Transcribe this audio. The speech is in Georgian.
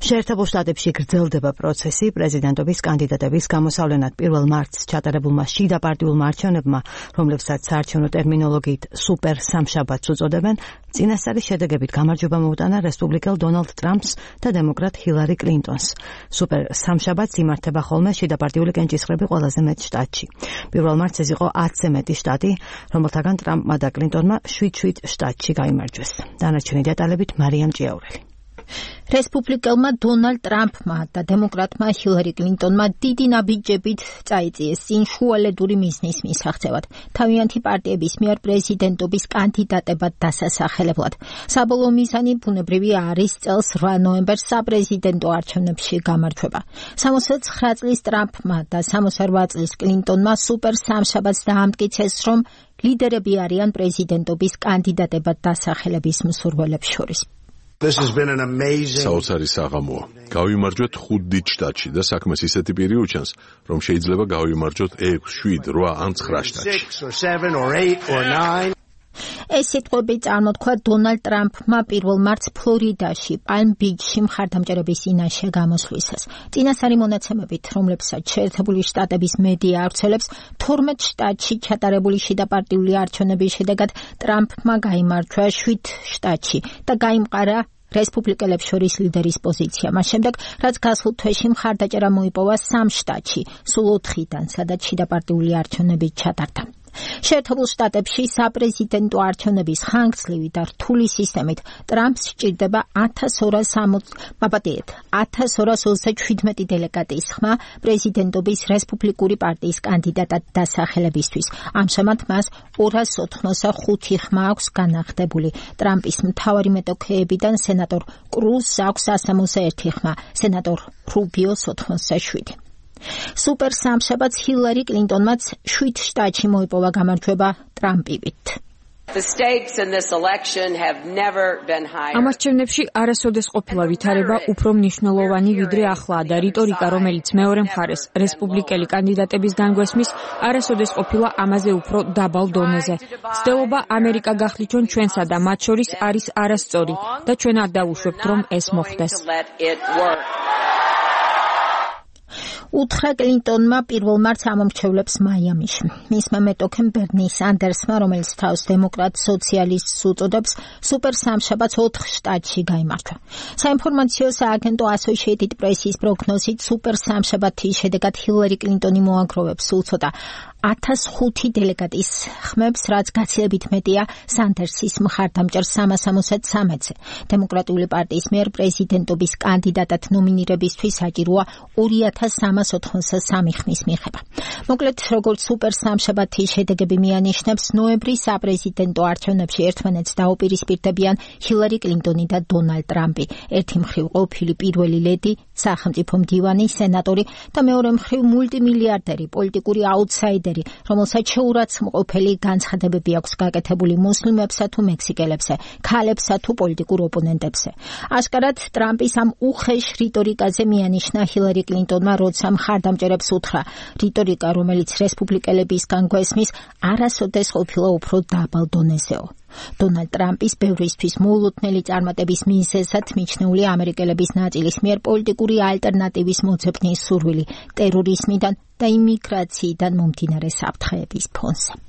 შეერთებულ შტატებში გრძელდება პროცესი პრეზიდენტობის კანდიდატების გამოსავლენად 1 მარტს ჩატარებულმა შიდა პარტიულმა არჩევნებმა, რომლებსაც საარჩევნო ტერმინოლოგიით სუპერ სამშაბათს უწოდებენ, წინასწარი შედეგებით გამარჯვება მოუტანა რესპუბლიკელ დონალდ ტრამპს და დემოკრატ ჰილარი კლინტონს. სუპერ სამშაბათს იმართება ხოლმე შიდა პარტიული კენჭისყრები ყველაზე მეტ შტატში. 1 მარტს ეს იყო 10-ზე მეტი შტატი, რომელთაგან ტრამპმა და კლინტონმა 7 შტატში გაიმარჯვეს. დანარჩენი დეტალებით მარიამ ჭიაურელი. რესპუბლიკელმა დონალდ ტრამპმა და დემოკრატმა ჰილარი კლინტონმა დიდი ნაბიჯებით წაიწიეს წინ შუალედური მიზნის მისაღწევად, თავიანთი პარტიების მიერ პრეზიდენტობის კანდიდატებად დასასახელებლად. საბოლოო მიზანი ბუნებრივია არის წელს 8 ნოემბერს საპრეზიდენტო არჩევნებში გამარჯვება. 69 წლის ტრამპმა და 68 წლის კლინტონმა სუპერ სამშაბათს დაამტკიცეს, რომ ლიდერები არიან პრეზიდენტობის კანდიდატებად დასახელების მსურველებს შორის. საოცარი საღამოა. გავიმარჯვეთ 5 დიდ შტატში და საქმეს ისეთი პირი უჩანს, რომ შეიძლება გავიმარჯვოთ 6, 7, 8 ან 9 შტატში. ეს სიტყვები წარმოთქვა დონალდ ტრამპმა 1 მარტს ფლორიდაში, პალმ-ბიჩში მხარდამჭერების წინაშე გამოსვლისას. წინასწარი მონაცემებით, რომლებსაც შეერთებული შტატების მედია ავრცელებს, 12 შტატში ჩატარებული შიდა პარტიული არჩევნების შედეგად ტრამპმა გაიმარჯვა 7 შტატში და გაიმყარა რესპუბლიკელებს შორის ლიდერის პოზიცია. მას შემდეგ, რაც გასულ თვეში მხარდაჭერა მოიპოვა 3 შტატში, სულ 4-დან, სადაც შიდა პარტიული არჩევნები ჩატარდა. შეერთებულ შტატებში საპრეზიდენტო არჩევნების ხანგრძლივი და რთული სისტემით ტრამპს სჭირდება 1227 დელეგატის ხმა პრეზიდენტობის რესპუბლიკური პარტიის კანდიდატად დასახელებისთვის. ამჟამად მას 285 ხმა აქვს განახდებული. ტრამპის მთავარი მეტოქეებიდან სენატორ კრუზს აქვს 161 ხმა, სენატორ რუბიოს 87. სუპერ სამშაბათს ჰილარი კლინტონმაც 7 შტატში მოიპოვა გამარჯვება ტრამპივით. ამ არჩევნებში არასოდეს ყოფილა ვითარება უფრო მნიშვნელოვანი ვიდრე ახლაა და რიტორიკა, რომელიც მეორე მხარეს რესპუბლიკელი კანდიდატების განგვესმის, არასოდეს ყოფილა ამაზე უფრო დაბალ დონეზე. ცდილობა ამერიკა გახლიჩონ ჩვენსა და მათ შორის არის არასწორი და ჩვენ არ დავუშვებთ, რომ ეს მოხდეს. უთხრა კლინტონმა 1 მარტს ამომრჩევლებს მაიამიში. მისმა მეტოქემ ბერნი სანდერსმა, რომელიც თავს დემოკრატ სოციალისტს უწოდებს, სუპერ სამშაბათს 4 შტატში გაიმარჯვა. საინფორმაციო სააგენტო Associated Press-ის პროგნოზით სუპერ სამშაბათის შედეგად ჰილარი კლინტონი მოაგროვებს უცოტა 1005 დელეგატის ხმებს, რაც გაცილებით მეტია სანდერსის მხარდამჭერ 363-ზე. დემოკრატიული პარტიის მიერ პრეზიდენტობის კანდიდატად ნომინირებისთვის საჭიროა 2383 ხმის მიღება. მოკლედ, როგორც სუპერ სამშაბათის შედეგები მიანიშნებს, ნოემბრის საპრეზიდენტო არჩევნებში ერთმანეთს დაუპირისპირდებიან ჰილარი კლინტონი და დონალდ ტრამპი. ერთი მხრივ ყოფილი პირველი ლედი, სახელმწიფო მდივანი, სენატორი და მეორე მხრივ მულტიმილიარდერი, პოლიტიკური აუტსაიდერი, რომელსაც შეურაცხმყოფელი განცხადებები აქვს გაკეთებული მუსლიმებსა თუ მექსიკელებსა, ქალებსა თუ პოლიტიკურ ოპონენტებზე. აშკარად ტრამპის ამ უხეშ რიტორიკაზე მიანიშნა ჰილარი კლინტონმა, როცა მხარდამჭერებს უთხრა, რიტორიკა, რომელიც რესპუბლიკელების განგვესმის, არასოდეს ყოფილა უფრო დაბალ დონეზეო. დონალდ ტრამპის ბევრისთვის მოულოდნელი წარმატების მიზეზად მიჩნეულია ამერიკელების ნაწილის მიერ პოლიტიკური ალტერნატივის მოძებნის სურვილი ტერორიზმიდან და იმიგრაციიდან მომდინარე საფრთხეების ფონზე.